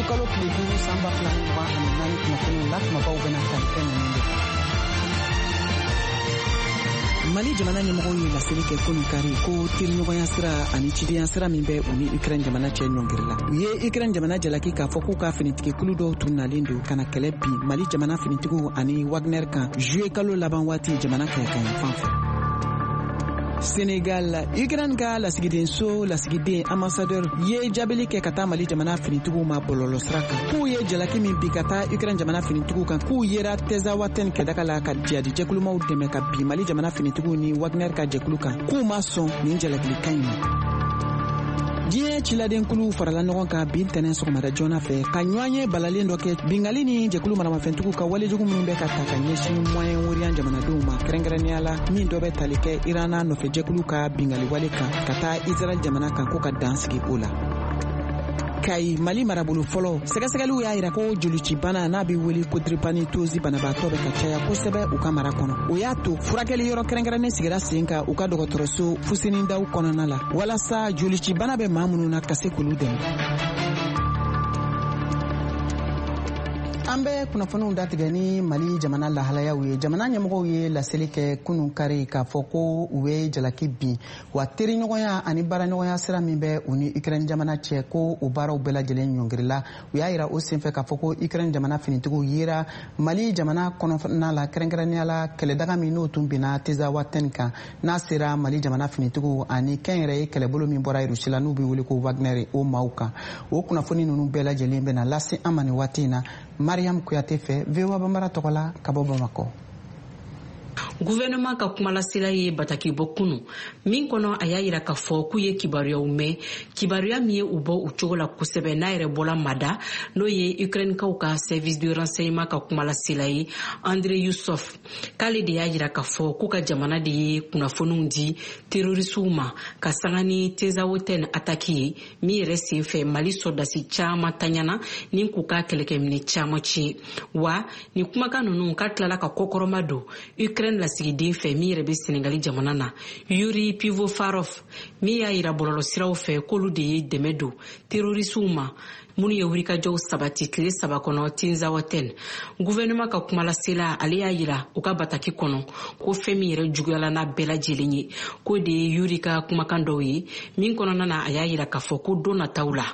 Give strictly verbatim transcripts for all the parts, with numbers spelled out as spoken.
kalo tile duuru san ba fila ni mugan ani naani kunnafoniw la, kumabaw bɛna tali kɛ ninnu de kan. Mali jamana ɲɛmɔgɔw ye laseli kɛ kunu kari ko teriɲɔgɔnya sira ani cidenya sira min bɛ u ni Ukraine jamana cɛ ɲɔngiri la. U ye Ukraine jamana jalaki k'a fɔ k'u ka finitigikulu dɔw tun nalen don ka na kɛlɛ bin Mali jamana finitigiw ani Wagner kan juillet kalo laban waati jamana kɛɲɛka fɛ. Senegal, Ukraine ka lasigidenso lasigiden ambassadeur ye jaabili kɛ ka taa Mali jamana finitigiw ma bɔlɔlɔsira kan, k'u ye jalaki min bi ka taa Ukraine jamana finitigiw kan, k'u yera Tezawatɛn kɛdaga la ka jihadi jɛkulumaw dɛmɛ ka bin Mali jamana finitigiw ni Wagner ka jɛkulu kan, k'u ma sɔn nin jalakilikan in ma. Diɲɛ ciladenkulu farala ɲɔgɔn kan bi ntɛnɛn sɔgɔmada joona fɛ ka ɲɔgɔn ye balalen dɔ kɛ bingali ni jɛkulu maramafɛntigiw ka walejugu minnu bɛ ka ta ka ɲɛsin Moyen-Orient jamanadenw ma, kɛrɛnkɛrɛnnenya la min dɔ bɛ tali kɛ Iran n'a nɔfɛ jɛkulu ka bingali wale kan ka taa Israɛl jamana kan, ko ka dan sigi o la. Kayi, Mali marabolo fɔlɔ, sɛgɛsɛgɛliw y'a yira ko jolicibana n'a bɛ wele ko drépanocytose banabaatɔ bɛ ka caya kosɛbɛ u ka mara kɔnɔ. O y'a to furakɛli yɔrɔ kɛrɛnkɛrɛnnen sigira sen kan u ka dɔgɔtɔrɔso Fuseni Daw kɔnɔna la, walasa jolicibana bɛ maa minnu na ka se k'olu dɛmɛ. An bɛ kunnafoniw datigɛ ni Mali jamana lahalayaw ye. Jamana ɲɛmɔgɔw ye laseli kɛ kunun kari k'a fɔ ko u bɛ jalaki bin wa teriɲɔgɔnya ani baaraɲɔgɔnya sira min bɛ u ni Ukraine jamana cɛ, ko o baaraw bɛɛ lajɛlen ɲɔngirila. U y'a yira o senfɛ k'a fɔ ko Ukraine jamana finitigiw yera Mali jamana kɔnɔna la, kɛrɛnkɛrɛnnenya la kɛlɛdaga min n'o tun binna Tezawatɛn kan, n'a sera Mali jamana finitigiw ani kɛnyɛrɛye kɛlɛbolo min bɔra Russie la n'u bɛ wele ko Wagner o maaw kan. O kunnafoni ninnu bɛɛ lajɛlen bɛna lase an ma nin waati in na Mariam Kuyate fɛ, V O A Bambara tɔgɔ la ka bɔ Bamakɔ. Gouvernement ka kumalasela ye bataki bɔ kunu min kɔnɔ, a y'a yira k'a fɔ k'u ye kibaruyaw mɛn, kibaruya min ye u bɔ u cogo la kosɛbɛ, n'a yɛrɛ bɔla mada n'o ye Ukrainekaw ka service de renseignement ka kumalasela ye André Yusuf, k'ale de y'a yira k'a fɔ k'u ka jamana de ye kunnafoniw di terrorisiw ma ka sanga ni Tezawatɛn ataki ye min yɛrɛ senfɛ Mali sɔrɔdasi caman taɲana ni k'u ka kɛlɛkɛminɛ caman tiɲɛ. Wa nin kumakan ninnu k'a tilala ka kɔkɔrɔma don Ukraine lasigiden fɛ min yɛrɛ bɛ Senegali jamana na, Yuri Pivofarov, min y'a yira bɔlɔlɔsiraw fɛ k'olu de ye dɛmɛ don terrorisiw ma minnu ye wulikajɔw sabati tile saba kɔnɔ Tinzawatɛn. Gouvernement ka kumalasela ale y'a yira u ka bataki kɔnɔ ko fɛn min yɛrɛ juguyala n'a bɛɛ lajɛlen ye, k'o de ye Yuri ka kumakan dɔw ye min kɔnɔna na a y'a yira k'a fɔ ko don nataw la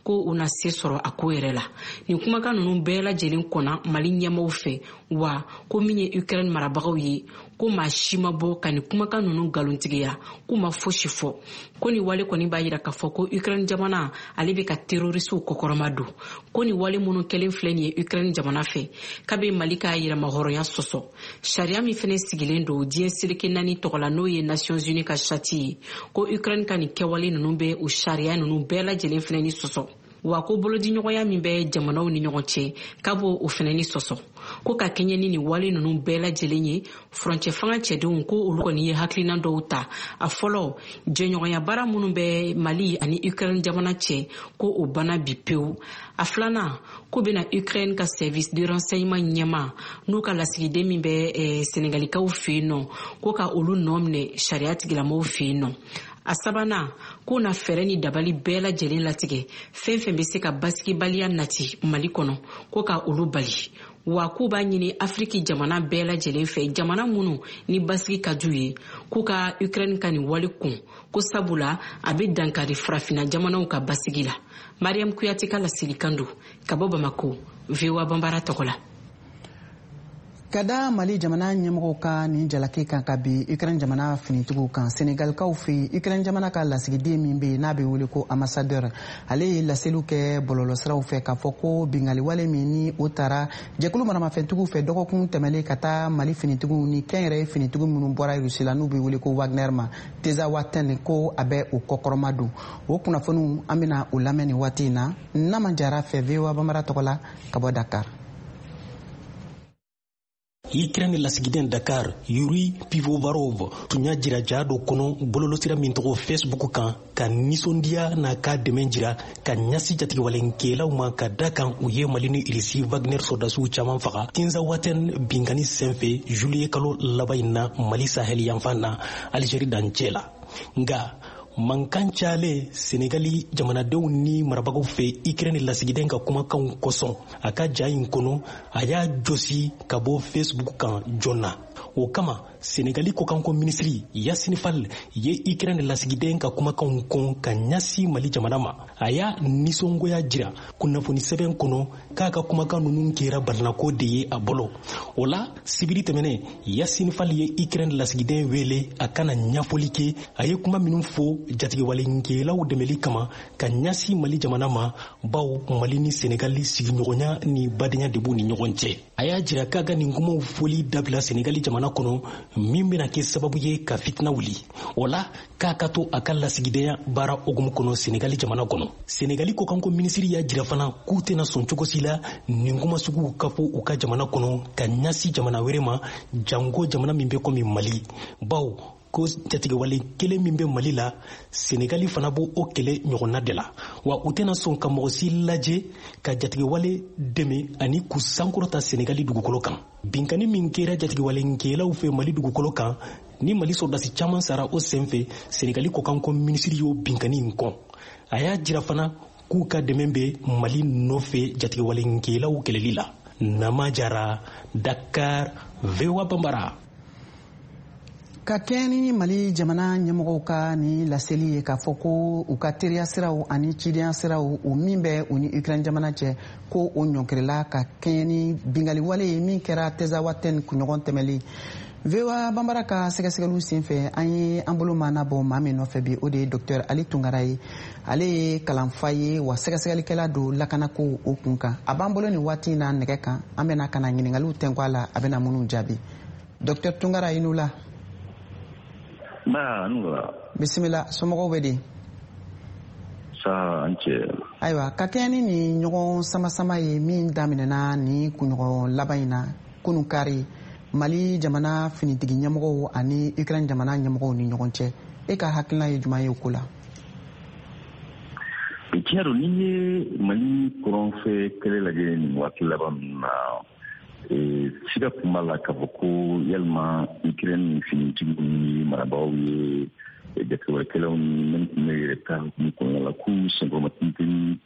ko u na se sɔrɔ a ko yɛrɛ la. Nin kumakan ninnu bɛɛ lajɛlen kɔnna Mali ɲɛmaaw fɛ, wa ko min ye Ukraine marabagaw ye, ko maa si ma bɔ ka nin kumakan ninnu nkalontigiya, k'u ma fosi fɔ. Ko nin wale kɔni b'a yira k'a fɔ ko Ukraine jamana ale bɛ ka terrorisiw kɔkɔrɔma don, ko nin wale minnu kɛlen filɛ nin ye Ukraine jamana fɛ, k'a bɛ Mali ka yɛrɛmahɔrɔnya sɔsɔ. Sariya min fɛnɛ sigilen don diɲɛ seleke naani tɔgɔ la, n'o ye Nations Unies ka charte ye, ko Ukraine ka nin kɛwale ninnu bɛ o sariya ninnu bɛɛ lajɛlen fɛnɛ ni sɔsɔ. Wa ko bolodiɲɔgɔnya min bɛ jamanaw ni ɲɔgɔn cɛ, k'a b'o o fɛnɛ ni sɔsɔ. Ko ka kɛɲɛ ni nin wale ninnu bɛɛ lajɛlen ye, furancɛ fanga cɛdenw ko olu kɔni ye hakilina dɔw ta. A fɔlɔ, jɛɲɔgɔnya baara minnu bɛ Mali ani Ukraine jamana cɛ, ko o banna bi pewu. A filanan, ko bɛna Ukraine ka service de renseignement ɲɛma n'u ka lasigiden min bɛ eh, Senegalikaw fɛ yen nɔ, ko ka olu nɔ minɛ sariya tigilamɔgɔw fɛ yen nɔ. A sabanan, k'u na fɛɛrɛ ni dabali bɛɛ lajɛlen latigɛ fɛn fɛn bɛ se ka basigibaliya nati Mali kɔnɔ, ko ka olu bali. Wa k'u b'a ɲini Afiriki jamana bɛɛ lajɛlen fɛ, jamana minnu ni basigi ka d'u ye, k'u ka Ukraine ka nin wale kun, ko sabula a bɛ dankari farafinna jamanaw ka basigi la. Mariam Kuyate ka laselikan don ka bɔ Bamako, V O A Bambara tɔgɔ la. Ka da Mali jamana ɲɛmɔgɔw ka nin jalaki kan ka bi Ukraine jamana finitigiw kan, Senegalikaw fɛ yen, Ukraine jamana ka lasigiden min bɛ yen n'a bɛ wele ko ambassadeur, ale ye laseliw kɛ bɔlɔlɔsiraw fɛ k'a fɔ ko bingaliwale min ni o taara jɛkulu maramafɛntigiw fɛ dɔgɔkun tɛmɛlen ka taa Mali finitigiw ni kɛnyɛrɛye finitigiw minnu bɔra Russie la n'u bɛ wele ko Wagner ma Tezawatɛn, ko a bɛ o kɔkɔrɔma don. O kunnafoniw an bɛna o lamɛn nin waati in na Nama Jara fɛ, V O A Bambara tɔgɔ la ka bɔ Dakar. Ukraine lasigiden Dakar, Yuri Pivovarov tun y'a jira ja dɔ kɔnɔ bɔlɔlɔsira min tɔgɔ Facebook kan, ka nisɔndiya n'a ka dɛmɛ jira ka ɲɛsin jatigɛwalenkɛlaw ma, ka da kan u ye Mali ni Irisi Wagner sɔrɔdasiw caman faga Tinzawaten binkani senfɛ juillet kalo laban in na Mali sahel yanfan na Algérie dancɛ la. Nka Mankan cayalen Senegali jamanadenw ni marabagaw fɛ Ukraine lasigiden ka kumakanw kosɔn, a ka ja in kɔnɔ, a y'a josi ka bɔ Facebook kan joona. O kama, Senegali kɔkanko minisiri Yasini Fall ye Ukraine lasigiden ka kumakanw kɔn ka ɲɛsin Mali jamana ma. A y'a nisɔngoya jira kunnafoni sɛbɛn kɔnɔ k'a ka kumakan ninnu kɛra balinako de ye a bolo. O la, sibiri tɛmɛnen, Yasini Fall ye Ukraine lasigiden wele a kana ɲɛfɔli kɛ a ye kuma minnu fɔ jatigɛwalenkɛlaw dɛmɛli kama ka ɲɛsin Mali jamana ma, bawo Mali ni Senegali sigiɲɔgɔnya ni badenya de b'u ni ɲɔgɔn cɛ. A y'a jira k'a ka nin kumaw fɔli dabila Senegali jamana kɔnɔ, min bɛna kɛ sababu ye ka fitina wuli. O la, k'a ka to a ka lasigidenya baara hukumu kɔnɔ Senegali jamana kɔnɔ. Senegali kɔkanko minisiri y'a jira fana k'u tɛna sɔn cogo si la nin kuma suguw ka fɔ u ka jamana kɔnɔ ka ɲɛsin jamana wɛrɛ ma, janko jamana min bɛ komi Mali, bawo ko jatigɛwale kelen min bɛ Mali la, Senegali fana b'o o kɛlɛ ɲɔgɔnna de la. Wa u tɛna sɔn ka mɔgɔ si lajɛ ka jatigɛwale dɛmɛ ani k'u sankɔrɔta Senegali dugukolo kan. Binkanni min kɛra jatigɛwalenkɛlaw fɛ Mali dugukolo kan ni Mali sɔrɔdasi caman sara o senfɛ, Senegali kɔkanko minisiri y'o binkanni in kɔn. A y'a jira fana k'u ka dɛmɛ bɛ Mali nɔfɛ jatigɛwalenkɛlaw kɛlɛli la. Nama Jara, Dakar, V O A Bambara. Ka kɛɲɛ ni Mali jamana ɲɛmɔgɔw ka ni laseli ye k'a fɔ ko u ka teriya siraw ani cidenya siraw, o min bɛ u ni Ukraine jamana cɛ, ko o ɲɔnkirila ka kɛɲɛ ni bingaliwale ye min kɛra Tezawatɛn kunɲɔgɔn tɛmɛlen. V O A Bambara ka sɛgɛsɛgɛliw senfɛ, an ye an bolo maana bɔ maa min nɔfɛ bi, o de ye Docteur Ali Tunkara ye. Ale ye kalanfa ye, wa sɛgɛsɛgɛlikɛla don lakanako o kun kan. A b'an bolo nin waati in na nɛgɛ kan, an bɛna ka na ɲininkaliw tɛnku a la, a bɛna minnu jaabi. Docteur Tunkara, i n'u la. Ba, nula. Bisimila, somɔgɔw bɛ di? Sa, an cɛ. Ayiwa, ka kɛɲɛ ni nin ɲɔgɔn sama-sama ye min daminɛna nin kunɲɔgɔn laban in na, kunun kari, Mali jamana finitigi ɲɛmɔgɔw ani Ukraine jamana ɲɛmɔgɔw ni ɲɔgɔn cɛ, e ka hakilina ye jumɛn ye o ko la? Tiɲɛ don, n'i ye Mali kɔrɔnfɛ kɛlɛ lajɛ nin waati laban ninnu na, siga tun b'a la k'a fɔ ko yalima Ukraine finitigiw ni marabagaw ye jatigɛwalekɛlaw ni minnu tun bɛ yɛrɛ ta hukumu kɔnɔna la, k'u senkɔrɔmatintin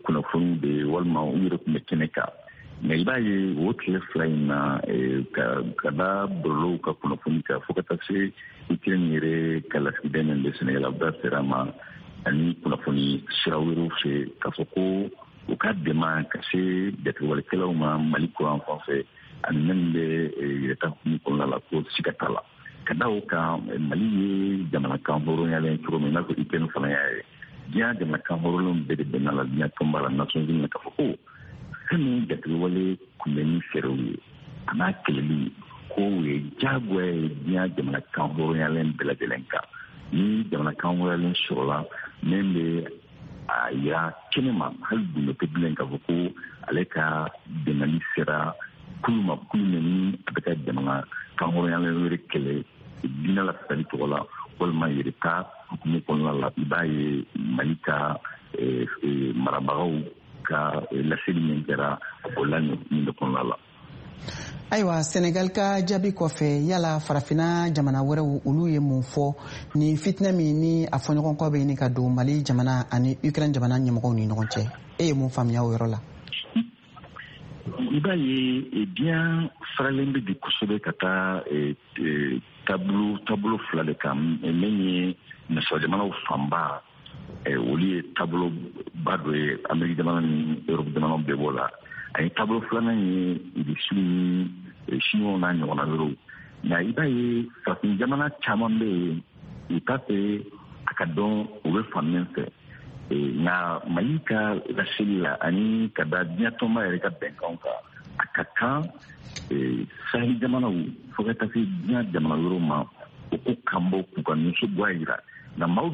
kunnafoni de walima u yɛrɛ tun bɛ kɛnɛ kan. Nka i b'a ye o tile fila in na, ka da bɔlɔlɔw ka kunnafoni kan fo ka taa se Ukraine yɛrɛ ka lasigiden min bɛ Senegal, a da sera ma, ani kunnafoni sira wɛrɛw fɛ, k'a fɔ ko u ka dɛmɛ ka se jatigɛwalekɛlaw ma Mali kuran fan fɛ ani minnu bɛ yɛrɛta hukumu kɔnɔna la, ko siga t'a la. Ka da o kan, Mali ye jamana kan hɔrɔnyalen cogo min, i n'a fɔ Ukraine fana y'a ye, diɲɛ jamana kan hɔrɔnlenw bɛɛ de bɛnna la diɲɛ tɔnba la, Nations Unies, k'a fɔ ko fɛn min jatigɛwale kunbɛnni fɛɛrɛw ye a n'a kɛlɛli, ko o ye diyagoya ye diɲɛ jamana kan hɔrɔnyalen bɛɛ lajɛlen kan. Ni jamana kan hɔrɔnyalen sɔrɔla min bɛ a yira kɛnɛ ma, hali gundo tɛ bilen k'a fɔ ko ale ka dɛmɛli sera kulu ma, kulu min ni a bɛ ka jamana kan hɔrɔnyalen wɛrɛ kɛlɛ diinɛ lafasali tɔgɔ la walima yɛrɛta hukumu kɔnɔna la. I b'a ye Mali ka marabagaw ka laseli min kɛra, a bolila nin hukumu de kɔnɔna la. Ayiwa, Senegal ka jaabi kɔfɛ, yala farafinna jamana wɛrɛw, olu ye mun fɔ nin fitinɛ min ni a fɔɲɔgɔnkɔ bɛ ɲini ka don Mali jamana ani Ukraine jamana ɲɛmɔgɔw ni ɲɔgɔn cɛ? E ye mun faamuya o yɔrɔ la? I b'a ye diɲɛ faralen bɛ bi kosɛbɛ ka taa taabolo taabolo fila de kan. Min ye nasara jamanaw fanba, olu ye taaboloba dɔ ye, Ameriki jamana ni Europe jamanaw bɛɛ b'o la. Ani taabolo filanan ye Irisiw ni Siniwaw n'a ɲɔgɔnna wɛrɛw. Nka i b'a ye farafin jamana caman bɛ yen, u t'a fɛ a ka dɔn u bɛ fan min fɛ. Nka Mali ka laseli la ani ka da diɲɛ tɔnba yɛrɛ ka bɛnkanw kan, a ka kan saheli jamanaw fo ka taa se diɲɛ jamana wɛrɛw ma, u ko kan bɔ k'u ka nisɔngoya jira. Nka maaw